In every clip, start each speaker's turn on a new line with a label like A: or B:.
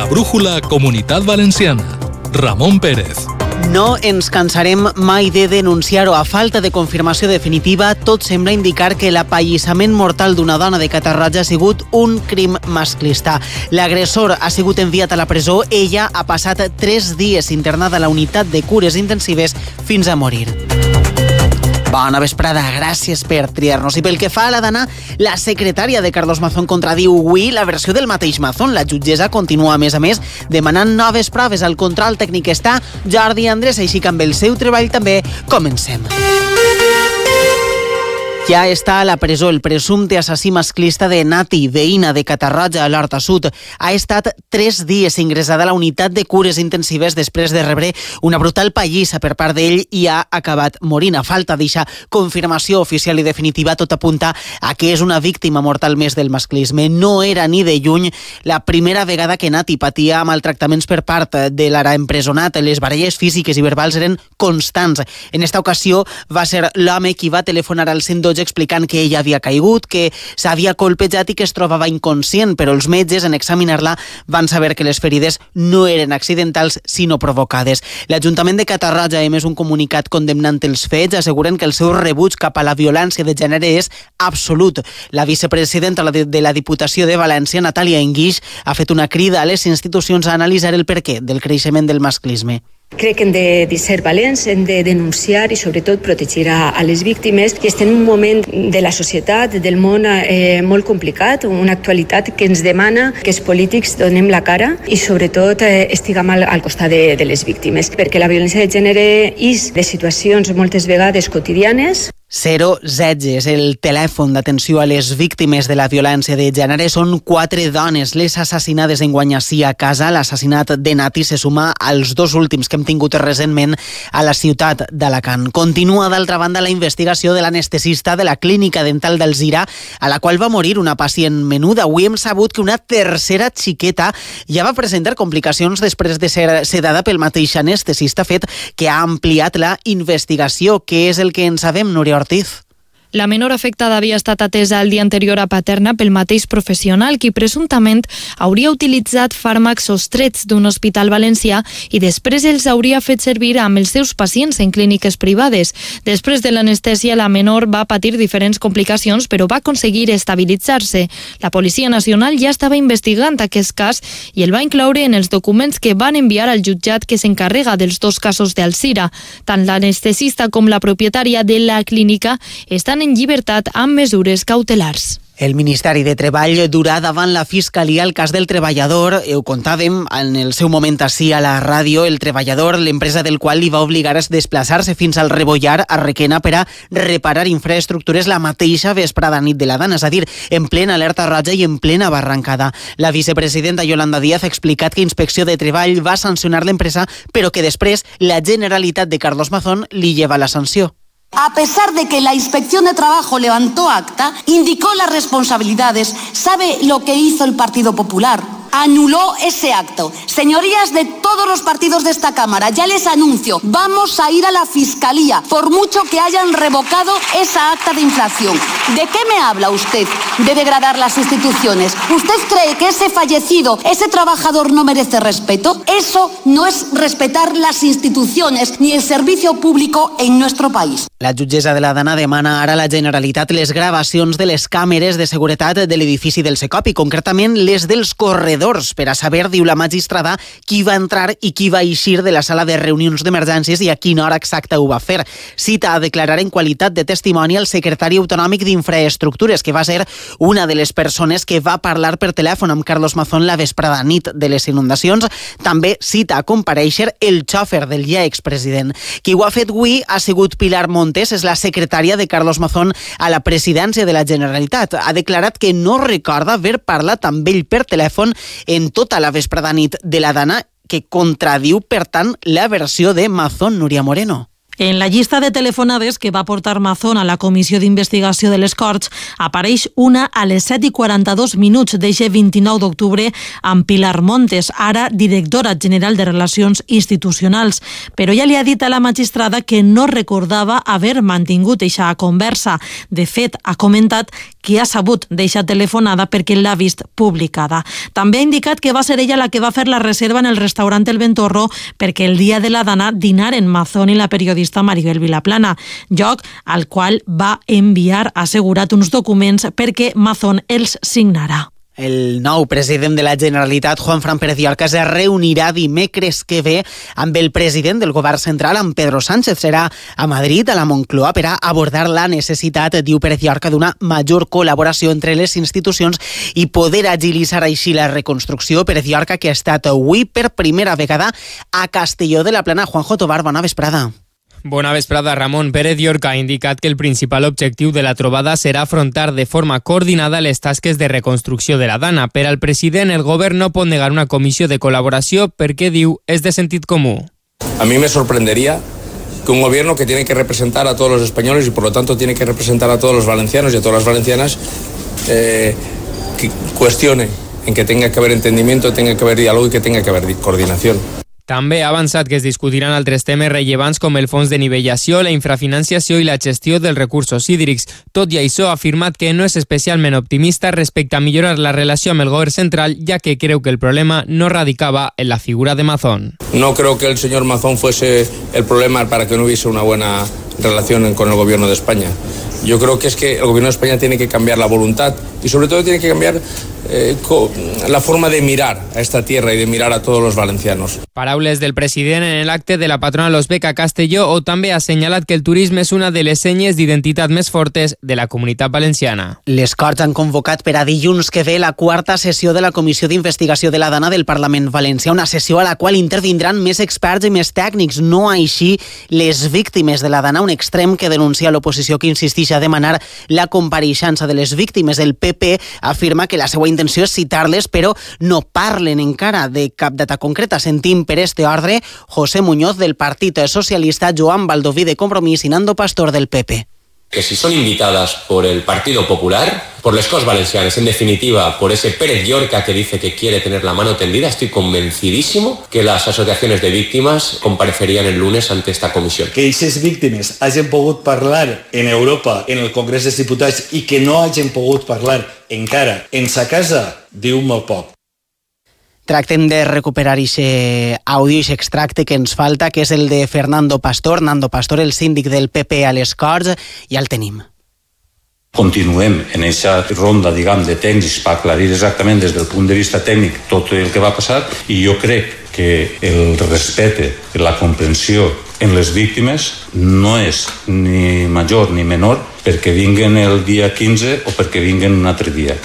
A: brújula Comunitat Valenciana. Ramon Pérez.
B: No ens cansarem mai de denunciar-ho. A falta de confirmació definitiva, tot sembla indicar que l'apallissament mortal d'una dona de Catarroja ha sigut un crim masclista. L'agressor ha sigut enviat a la presó. Ella ha passat 3 dies internada a la unitat de cures intensives fins a morir. Bona vesprada, gràcies per triar-nos. I pel que fa a la dana, la secretària de Carlos Mazón contradiu avui la versió del mateix Mazón. La jutgessa continua, a més, demanant noves proves. Al control tècnic està Jordi Andrés, així que amb el seu treball també comencem. Ja està a la presó el presumpte assassí masclista de Nati, veïna de Catarroja, a l'Horta Sud. Ha estat 3 dies ingressada a la unitat de cures intensives després de rebre una brutal pallissa per part d'ell i ha acabat morint. A falta d'eixa confirmació oficial i definitiva, tot apunta a que és una víctima mortal més del masclisme. No era ni de lluny la primera vegada que Nati patia maltractaments per part de l'ara empresonat. Les baralles físiques i verbals eren constants. En esta ocasió va ser l'home qui va telefonar al 112 explicant que ella havia caigut, que s'havia colpejat i que es trobava inconscient, però els metges, en examinar-la, van saber que les ferides no eren accidentals, sinó provocades. L'Ajuntament de Catarroja ha emès un comunicat condemnant els fets, asseguren que el seu rebuig cap a la violència de gènere és absolut. La vicepresidenta de la Diputació de València, Natàlia Enguix, ha fet una crida a les institucions a analitzar el perquè del creixement del masclisme.
C: Crec que hem de ser valents, hem de denunciar i sobretot protegir a les víctimes, que estem en un moment de la societat, del món molt complicat, una actualitat que ens demana que els polítics donem la cara i sobretot estiguem al costat de les víctimes, perquè la violència de gènere és de situacions moltes vegades quotidianes.
B: 016 és el telèfon d'atenció a les víctimes de la violència de gènere. Són 4 dones les assassinades enguany ací a casa. L'assassinat de Nati se suma als 2 últims que hem tingut recentment a la ciutat d'Alacant. Continua, d'altra banda, la investigació de l'anestesista de la clínica dental d'Alzira, a la qual va morir una pacient menuda. Avui hem sabut que una tercera xiqueta ja va presentar complicacions després de ser sedada pel mateix anestesista, fet que ha ampliat la investigació. Què és el que en sabem, Núria Ortiz?
D: La menor afectada havia estat atesa el dia anterior a Paterna pel mateix professional, qui presumptament hauria utilitzat fàrmacs sostrets d'un hospital valencià i després els hauria fet servir amb els seus pacients en clíniques privades. Després de l'anestèsia, la menor va patir diferents complicacions, però va aconseguir estabilitzar-se. La Policia Nacional ja estava investigant aquest cas i el va incloure en els documents que van enviar al jutjat que s'encarrega dels 2 casos d'Alzira. Tant l'anestesista com la propietària de la clínica estan en llibertat amb mesures cautelars.
B: El Ministeri de Treball durà davant la Fiscalia el cas del treballador. Ho contàvem en el seu moment ací a la ràdio. El treballador, l'empresa del qual li va obligar a desplaçar-se fins al Rebollar, a Requena, per a reparar infraestructures la mateixa vesprada nit de la dana, és a dir, en plena alerta roja i en plena barrancada. La vicepresidenta Yolanda Díaz ha explicat que Inspecció de Treball va sancionar l'empresa, però que després la Generalitat de Carlos Mazón li lleva la sanció.
E: A pesar de que la Inspección de Trabajo levantó acta, indicó las responsabilidades. ¿Sabe lo que hizo el Partido Popular? Anuló ese acto. Señorías de todos los partidos de esta Cámara, ya les anuncio, vamos a ir a la Fiscalía, por mucho que hayan revocado esa acta de infracción. ¿De qué me habla usted? De degradar las instituciones. ¿Usted cree que ese fallecido, ese trabajador no merece respeto? Eso no es respetar las instituciones ni el servicio público en nuestro país.
B: La jutgessa de la Dana demana ara a la Generalitat les gravacions de les càmeres de seguretat de l'edifici del Secop i concretament les dels corredors per a saber, diu la magistrada, qui va entrar i qui va eixir de la sala de reunions d'emergències i a quina hora exacta ho va fer. Cita a declarar en qualitat de testimoni el secretari autonòmic d'Infraestructures, que va ser una de les persones que va parlar per telèfon amb Carlos Mazón la vesprada nit de les inundacions. També cita a comparèixer el xòfer del ja expresident. Qui ho ha fet avui ha sigut Pilar Montes, és la secretària de Carlos Mazón a la presidència de la Generalitat. Ha declarat que no recorda haver parlat amb ell per telèfon en tota la vesprada nit de la Dana, que contradiu, per tant, la versió de Mazón. Núria Moreno.
F: En la llista de telefonades que va portar Mazón a la Comissió d'Investigació de les Corts apareix una a les 7:42 d'eixe 29 d'octubre amb Pilar Montes, ara directora general de Relacions Institucionals. Però ja li ha dit a la magistrada que no recordava haver mantingut eixa conversa. De fet, ha comentat qui ha sabut deixar telefonada perquè l'ha vist publicada. També ha indicat que va ser ella la que va fer la reserva en el restaurant El Ventorro perquè el dia de la dana dinaren Mazón i la periodista Maribel Vilaplana, lloc al qual va enviar assegurat uns documents perquè Mazón els signarà.
B: El nou president de la Generalitat, Juanfran Pérez Llorca, es reunirà dimecres que ve amb el president del govern central, amb Pedro Sánchez. Serà a Madrid, a la Moncloa, per a abordar la necessitat, diu Pérez Llorca, d'una major col·laboració entre les institucions i poder agilitzar així la reconstrucció. Pérez Llorca, que ha estat avui per primera vegada a Castelló de la Plana. Juanjo Tobar, bona vesprada.
G: Bona vesprada, Ramon. Pérez Llorca ha indicat que el principal objectiu de la trobada serà afrontar de forma coordinada les tasques de reconstrucció de la dana. Per al president, el govern no pot negar una comissió de col·laboració perquè, diu, és de sentit comú.
H: A mí me sorprendería que un gobierno que tiene que representar a todos los españoles y por lo tanto tiene que representar a todos los valencianos y a todas las valencianas que cuestione en que tenga que haber entendimiento, tenga que haber diálogo y que tenga que haber coordinación.
G: També ha avançat que es discutiran altres temes rellevants com el fons de nivellació, la infrafinanciació i la gestió dels recursos hídrics. Tot i això, ha afirmat que no és especialment optimista respecte a millorar la relació amb el govern central, ja que creu que el problema no radicava en la figura de Mazón.
H: No creo que el señor Mazón fuese el problema para que no hubiese una buena relación con el gobierno de España. Yo creo que es que el gobierno de España tiene que cambiar la voluntad y sobre todo tiene que cambiar la forma de mirar a esta tierra y de mirar a todos los valencianos.
G: Paraules del president en l'acte de la patrona Los Beca Castelló, o també ha assenyalat que el turisme és una de les senyes d'identitat més fortes de la comunitat valenciana.
B: Les Corts han convocat per a dilluns que ve la quarta sessió de la Comissió d'Investigació de la Dana del Parlament Valencià, una sessió a la qual intervindran més experts i més tècnics, no així les víctimes de la Dana, un extrem que denuncia l'oposició, que insisteix a demanar la compareixença de les víctimes. El PP afirma que la seva intenció és citar-les, però no parlen encara de cap data concreta. Sentim per este ordre José Muñoz del Partit Socialista, Joan Baldoví de Compromís i Nando Pastor del PP.
I: Que si son invitadas por el Partido Popular, por les Corts Valencianes, en definitiva, por ese Pérez Llorca que dice que quiere tener la mano tendida, estoy convencidísimo que las asociaciones de víctimas comparecerían el lunes ante esta comisión.
J: Que aquestes víctimes hagin pogut parlar en Europa, en el Congrés dels Diputats, i que no hagin pogut parlar encara en sa casa, diu molt poc.
B: Tractem de recuperar aquest àudio, aquest extracte que ens falta, que és el de Fernando Pastor, el síndic del PP a les Corts, i el tenim.
K: Continuem en aquesta ronda, de tècnics per aclarir exactament des del punt de vista tècnic tot el que va passar, i jo crec que el respecte, la comprensió en les víctimes no és ni major ni menor perquè vinguen el dia 15 o perquè vinguen un altre dia.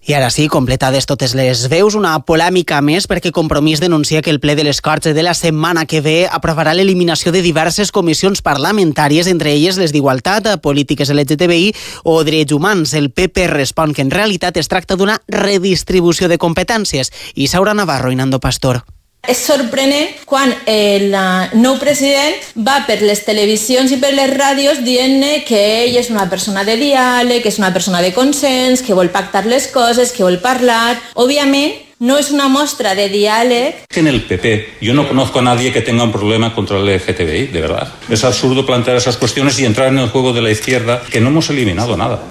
B: I ara sí, completades totes les veus, una polèmica més perquè Compromís denuncia que el ple de les Corts de la setmana que ve aprovarà l'eliminació de diverses comissions parlamentàries, entre elles les d'Igualtat, Polítiques LGTBI o Drets Humans. El PP respon que en realitat es tracta d'una redistribució de competències. Isaura Navarro i Nando Pastor.
L: És sorprenent quan el nou president va per les televisions i per les ràdios dient que ell és una persona de diàleg, que és una persona de consens, que vol pactar les coses, que vol parlar. Òbviament, no es una muestra de diálogo.
K: En el PP yo no conozco a nadie que tenga un problema contra el LGTBI, de verdad. Es absurdo plantear esas cuestiones y entrar en el juego de la izquierda, que no hemos eliminado nada.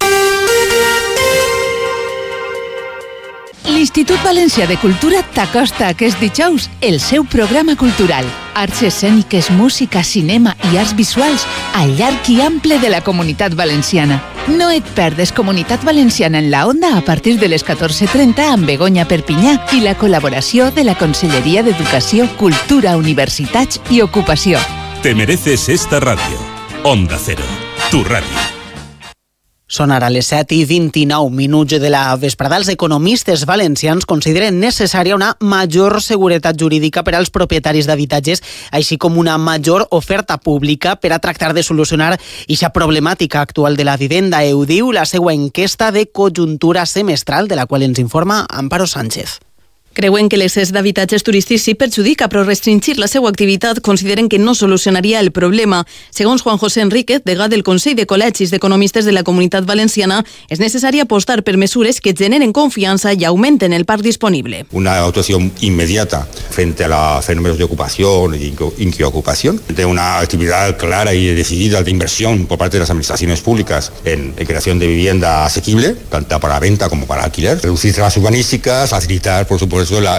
M: L'Institut Valencià de Cultura t'acosta aquest dijous el seu programa cultural. Arts escèniques, música, cinema i arts visuals al llarg i ample de la Comunitat Valenciana. No et perdes Comunitat Valenciana en la Onda a partir de les 14:30 amb Begoña Perpinyà i la col·laboració de la Conselleria d'Educació, Cultura, Universitats i Ocupació.
N: Te mereces esta radio. Onda Cero, tu radio.
B: Són ara les 7:29 de la vesprada. Els economistes valencians consideren necessària una major seguretat jurídica per als propietaris d'habitatges, així com una major oferta pública per a tractar de solucionar aquesta problemàtica actual de la vivenda. Ho diu la seva enquesta de conjuntura semestral, de la qual ens informa Amparo Sánchez.
O: Creuen que l'excés d'habitatges turístics sí perjudica, però restringir la seva activitat consideren que no solucionaria el problema. Segons Juan José Enríquez, degà del Consell de Col·legis d'Economistes de la Comunitat Valenciana, és necessari apostar per mesures que generen confianza y aumenten el parc disponible.
P: Una actuación inmediata frente a los fenómenos de ocupación y inquiocupación, de una actividad clara y decidida de inversión por parte de las administraciones públicas en creación de vivienda asequible, tanto para venta como para alquiler, reducir las urbanísticas, facilitar, por supuesto, la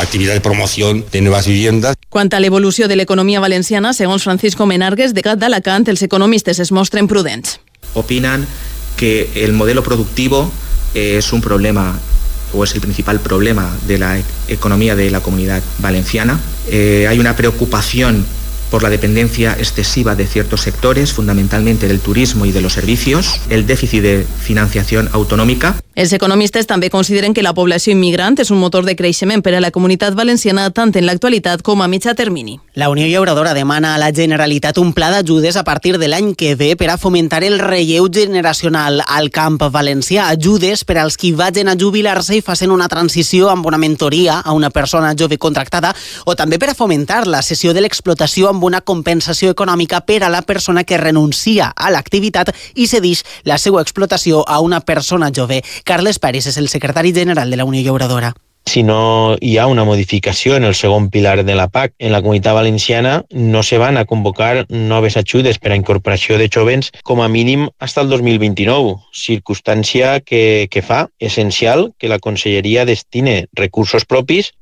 P: actividad de promoción de nuevas viviendas.
O: Quant a l'evolució de l'economia valenciana, segons Francisco Menargues, de Gat d'Alacant, els economistes es mostren prudents.
Q: Opinan que el modelo productivo es un problema o es el principal problema de la economía de la Comunidad Valenciana. Hay una preocupación por la dependencia excesiva de ciertos sectores, fundamentalmente del turismo y de los servicios, el déficit de financiación autonómica.
O: Els economistes també consideren que la població immigrant és un motor de creixement per a la Comunitat Valenciana tant en l'actualitat com a mitjà termini.
B: La Unió Llauradora demana a la Generalitat un pla d'ajudes a partir de l'any que ve per a fomentar el relleu generacional al camp valencià. Ajudes per als qui vagin a jubilar-se i facin una transició amb una mentoria a una persona jove contractada, o també per a fomentar la cessió de l'explotació amb una compensació econòmica per a la persona que renuncia a l'activitat i cedix la seva explotació a una persona jove. Carles Parés és el secretari general de la Unió Llauradora.
R: Si no hi ha una modificació en el segon pilar de la PAC en la Comunitat Valenciana, no se van a convocar noves ajudes per a incorporació de jovens com a mínim fins al 2029, circumstància que fa essencial que la Conselleria destine recursos propis.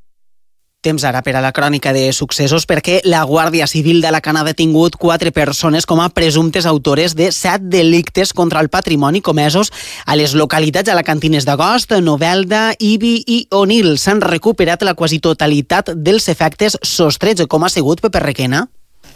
B: Temps ara per a la crònica de successos, perquè la Guàrdia Civil d'Alacant ha detingut 4 persones com a presumptes autores de 7 delictes contra el patrimoni comesos a les localitats alacantines d'Agost, Novelda, Ibi i Onil. S'han recuperat la quasi totalitat dels efectes sostrets, com ha sigut Pepe Requena.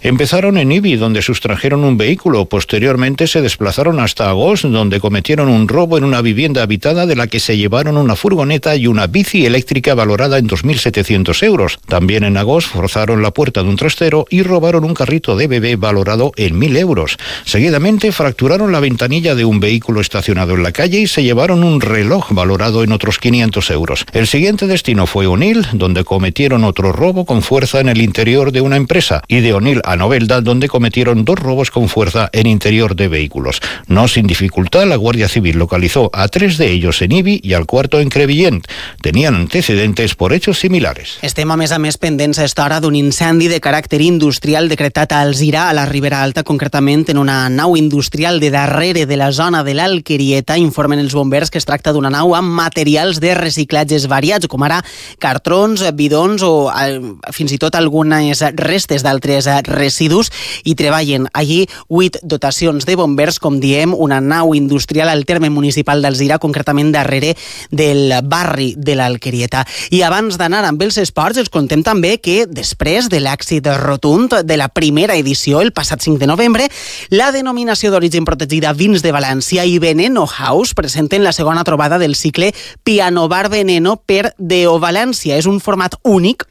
S: Empezaron en Ibi, donde sustrajeron un vehículo. Posteriormente se desplazaron hasta Agost, donde cometieron un robo en una vivienda habitada de la que se llevaron una furgoneta y una bici eléctrica valorada en 2.700 euros. También en Agost forzaron la puerta de un trastero y robaron un carrito de bebé valorado en 1.000 euros. Seguidamente fracturaron la ventanilla de un vehículo estacionado en la calle y se llevaron un reloj valorado en otros 500 euros. El siguiente destino fue Onil, donde cometieron otro robo con fuerza en el interior de una empresa, y de Onil a Novelda, donde cometieron 2 robos con fuerza en interior de vehículos. No sin dificultad, la Guardia Civil localizó a 3 de ellos en Ibi y al cuarto en Crevillent. Tenían antecedentes por hechos similares.
B: Estem a més pendents a esta hora d'un incendi de caràcter industrial decretat a Alzira, a la Ribera Alta, concretament en una nau industrial de darrere de la zona de l'Alquerieta. Informen els bombers que es tracta d'una nau amb materials de reciclatges variats, com ara cartrons, bidons o fins i tot algunes restes d'altres residus, i treballen allí 8 dotacions de bombers, com diem, una nau industrial al terme municipal d'Alzira, concretament darrere del barri de l'Alquerieta. I abans d'anar amb els esports, els contem també que després de l'èxit rotund de la primera edició, el passat 5 de novembre, la denominació d'origen protegida Vins de València i Veneno House presenten la segona trobada del cicle Piano Bar Veneno per Deo València. És un format únic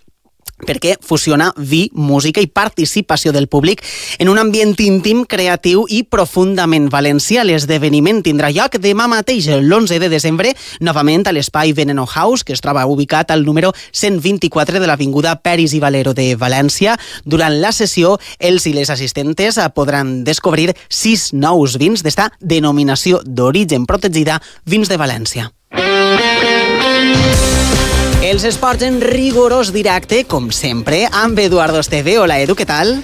B: perquè fusiona vi, música i participació del públic en un ambient íntim, creatiu i profundament valencià. L'esdeveniment tindrà lloc demà mateix, l'11 de desembre, novament a l'espai Veneno House, que es troba ubicat al número 124 de l'avinguda Peris i Valero de València. Durant la sessió, els i les assistentes podran descobrir 6 nous vins d'esta denominació d'origen protegida Vins de València. Els esports en rigorós directe, com sempre, amb Eduardo Esteve. Hola, Edu, què tal?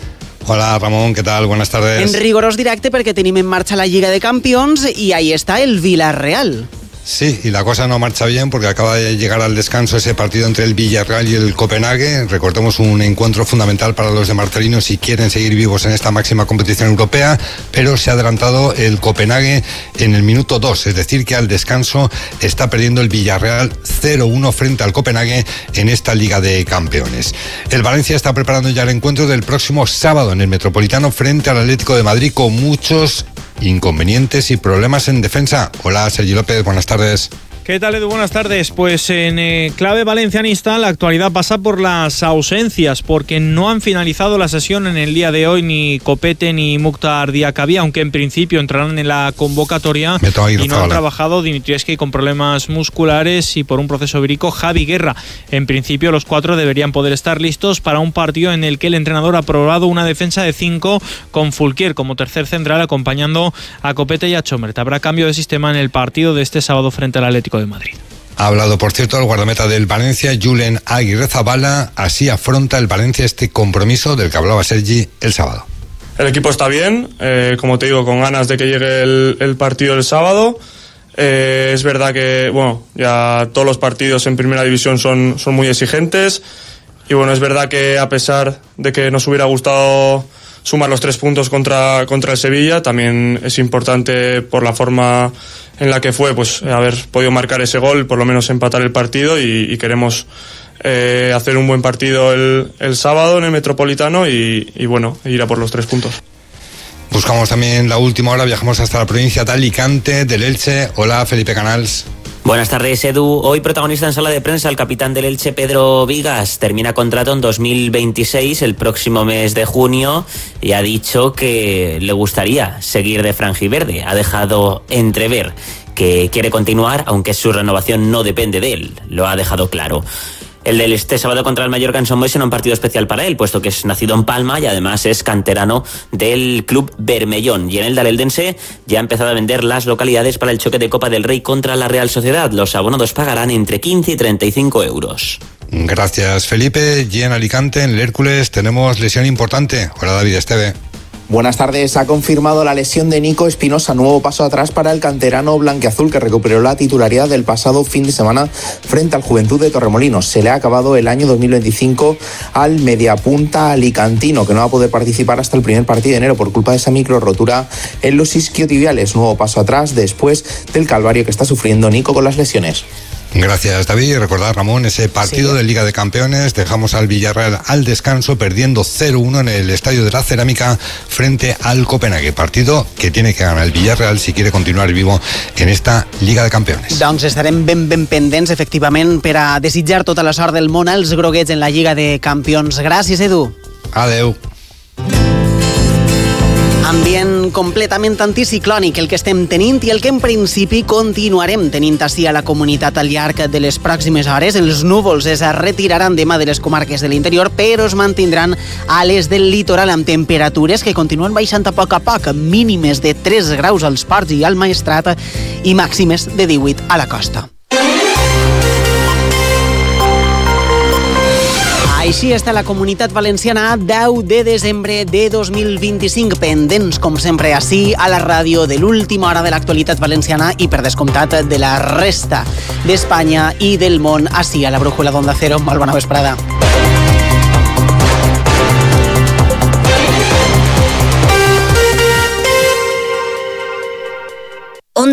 T: Hola, Ramón, ¿qué tal? Buenas tardes.
B: En rigorós directe perquè tenim en marxa la Lliga de Campions i ahí está el Villarreal.
T: Sí, y la cosa no marcha bien porque acaba de llegar al descanso ese partido entre el Villarreal y el Copenhague. Recordemos, un encuentro fundamental para los de Marcelino si quieren seguir vivos en esta máxima competición europea, pero se ha adelantado el Copenhague en el minuto 2, es decir que al descanso está perdiendo el Villarreal 0-1 frente al Copenhague en esta Liga de Campeones. El Valencia está preparando ya el encuentro del próximo sábado en el Metropolitano frente al Atlético de Madrid, con muchos inconvenientes y problemas en defensa. Hola, Sergi López, buenas tardes.
U: ¿Qué tal, Edu? Buenas tardes. Pues en clave valencianista la actualidad pasa por las ausencias, porque no han finalizado la sesión en el día de hoy ni Copete ni Mukhtar Diakabi, aunque en principio entrarán en la convocatoria, y no han trabajado Dimitrievski con problemas musculares y por un proceso vírico Javi Guerra. En principio los 4 deberían poder estar listos para un partido en el que el entrenador ha probado una defensa de 5 con Fulquier como tercer central acompañando a Copete y a Chomert. Habrá cambio de sistema en el partido de este sábado frente al Atlético de Madrid.
T: Ha hablado, por cierto, el guardameta del Valencia, Julen Aguirrezabala. Así afronta el Valencia este compromiso del que hablaba Sergi el sábado.
V: El equipo está bien, como te digo, con ganas de que llegue el partido el sábado. Es verdad que ya todos los partidos en primera división son muy exigentes. Y es verdad que a pesar de que nos hubiera gustado sumar los 3 puntos contra el Sevilla, también es importante por la forma en la que fue, haber podido marcar ese gol, por lo menos empatar el partido, y queremos hacer un buen partido el sábado en el Metropolitano y ir a por los 3 puntos.
T: Buscamos también la última hora, viajamos hasta la provincia de Alicante, del Elche. Hola, Felipe Canals.
W: Buenas tardes, Edu. Hoy protagonista en sala de prensa el capitán del Elche, Pedro Vigas. Termina contrato en 2026, el próximo mes de junio, y ha dicho que le gustaría seguir de franjiverde. Ha dejado entrever que quiere continuar, aunque su renovación no depende de él. Lo ha dejado claro. El del este sábado contra el Mallorca en Son Boi será un partido especial para él, puesto que es nacido en Palma y además es canterano del club Bermellón. Y en el Dareldense ya ha empezado a vender las localidades para el choque de Copa del Rey contra la Real Sociedad. Los abonados pagarán entre 15 y 35 euros.
T: Gracias, Felipe. Y en Alicante, en el Hércules, tenemos lesión importante. Hola, David Esteve.
X: Buenas tardes. Ha confirmado la lesión de Nico Espinosa, nuevo paso atrás para el canterano blanquiazul, que recuperó la titularidad del pasado fin de semana frente al Juventud de Torremolinos. Se le ha acabado el año 2025 al mediapunta alicantino, que no va a poder participar hasta el primer partido de enero por culpa de esa micro rotura en los isquiotibiales. Nuevo paso atrás después del calvario que está sufriendo Nico con las lesiones.
T: Gracias, David. Recordad, Ramón, ese partido de Liga de Campeones. Dejamos al Villarreal al descanso, perdiendo 0-1 en el Estadio de la Cerámica frente al Copenhague. Partido que tiene que ganar el Villarreal si quiere continuar vivo en esta Liga de Campeones.
B: Doncs estarem ben pendents, efectivament, per a desitjar tota la sort del món als groguets en la Lliga de Campions. Gràcies, Edu.
T: Adeu.
B: Ambient completament anticiclònic el que estem tenint i el que en principi continuarem tenint ací a la comunitat al llarg de les pròximes hores. Els núvols es retiraran demà de les comarques de l'interior, però es mantindran a les del litoral amb temperatures que continuen baixant a poc, mínimes de 3 graus als ports i al Maestrat i màximes de 18 a la costa. Així està la Comunitat Valenciana 10 de desembre de 2025, pendents, com sempre, ací a la ràdio de l'última hora de l'actualitat valenciana i, per descomptat, de la resta d'Espanya i del món, ací a la Brújula d'Onda Cero. Molt bona vesprada.